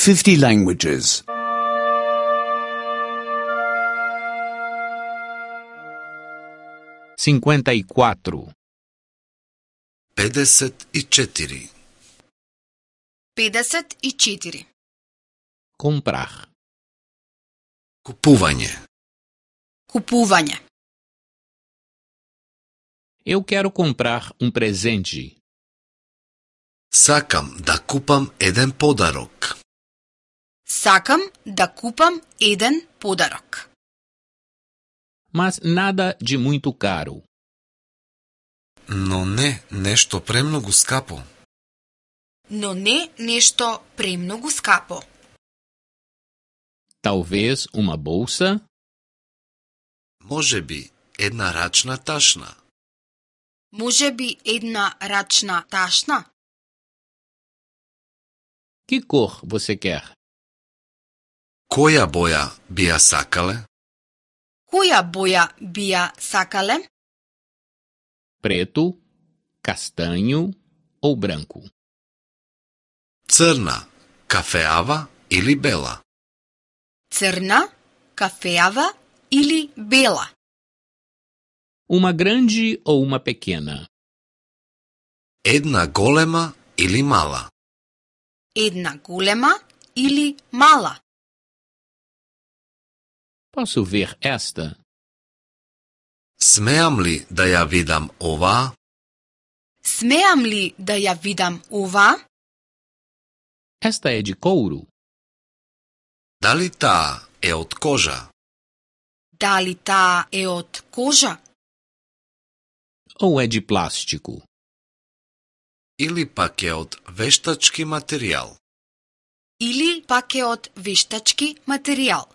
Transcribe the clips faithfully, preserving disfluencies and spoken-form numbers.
fifty languages. cinquenta e quatro. педесет и четири. педесет и четири. Comprar. Купување. Купување. Eu quero comprar um presente. Сакам да купам еден подарок. Сакам да купам еден подарок. Mas nada de muito caro. Но не нешто премногу скапо. Но не нешто премногу скапо. Talvez uma bolsa, Можеби една рачна ташна. Можеби една рачна ташна. que cor você quer? Која боја би ја сакале? Која боја би ја сакале? Preto, castanho ou branco? Црна, кафеава или бела? Црна, кафеава или бела? Uma grande ou uma pequena? Една голема или мала? Една голема или мала? Posso ver esta? Смеам ли да ја видам оваа? Смеам ли да ја видам ова? Esta é de couro? Дали таа е од кожа? Дали таа е од кожа? Ou é de plástico? Или пак е од вештачки материјал? Или пак е од вештачки материјал?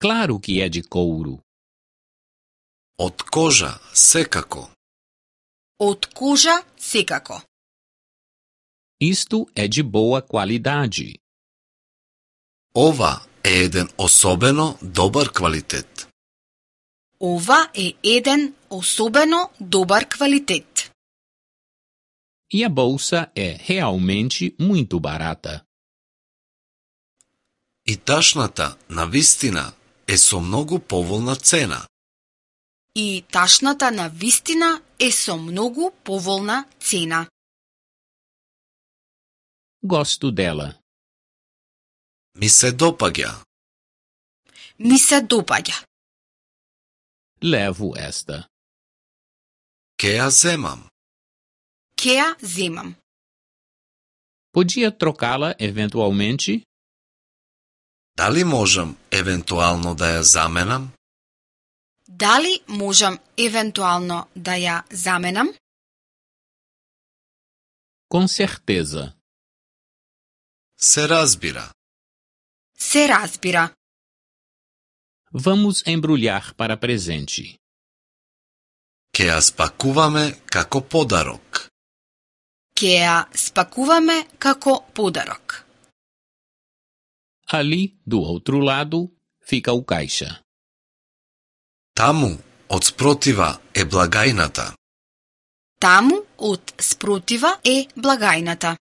Claro que é de couro. Од кожа, секако. Од кожа секако. Isto é de boa qualidade. Ова е еден особено добар квалитет. Ова е еден особено добар квалитет. E a bolsa é realmente muito barata. И ташната, навистина, е со многу поволна цена. И ташната на вистина е со многу поволна цена. Gosto dela. Ми се допаѓа. Ми се допаѓа. Levo esta. Ке ја земам. Ке ја земам. Podia trocá-la eventualmente? Дали можам евентуално да ја заменам? Дали можам евентуално да ја заменам? Com certeza. Се разбира. Се разбира. Vamos embrulhar para presente. Ке ја спакуваме како подарок. Ке ја спакуваме како подарок. Ali, do outro lado, fica o caixa. Таму, од спротива, е благајната. Таму, од спротива, е благајната.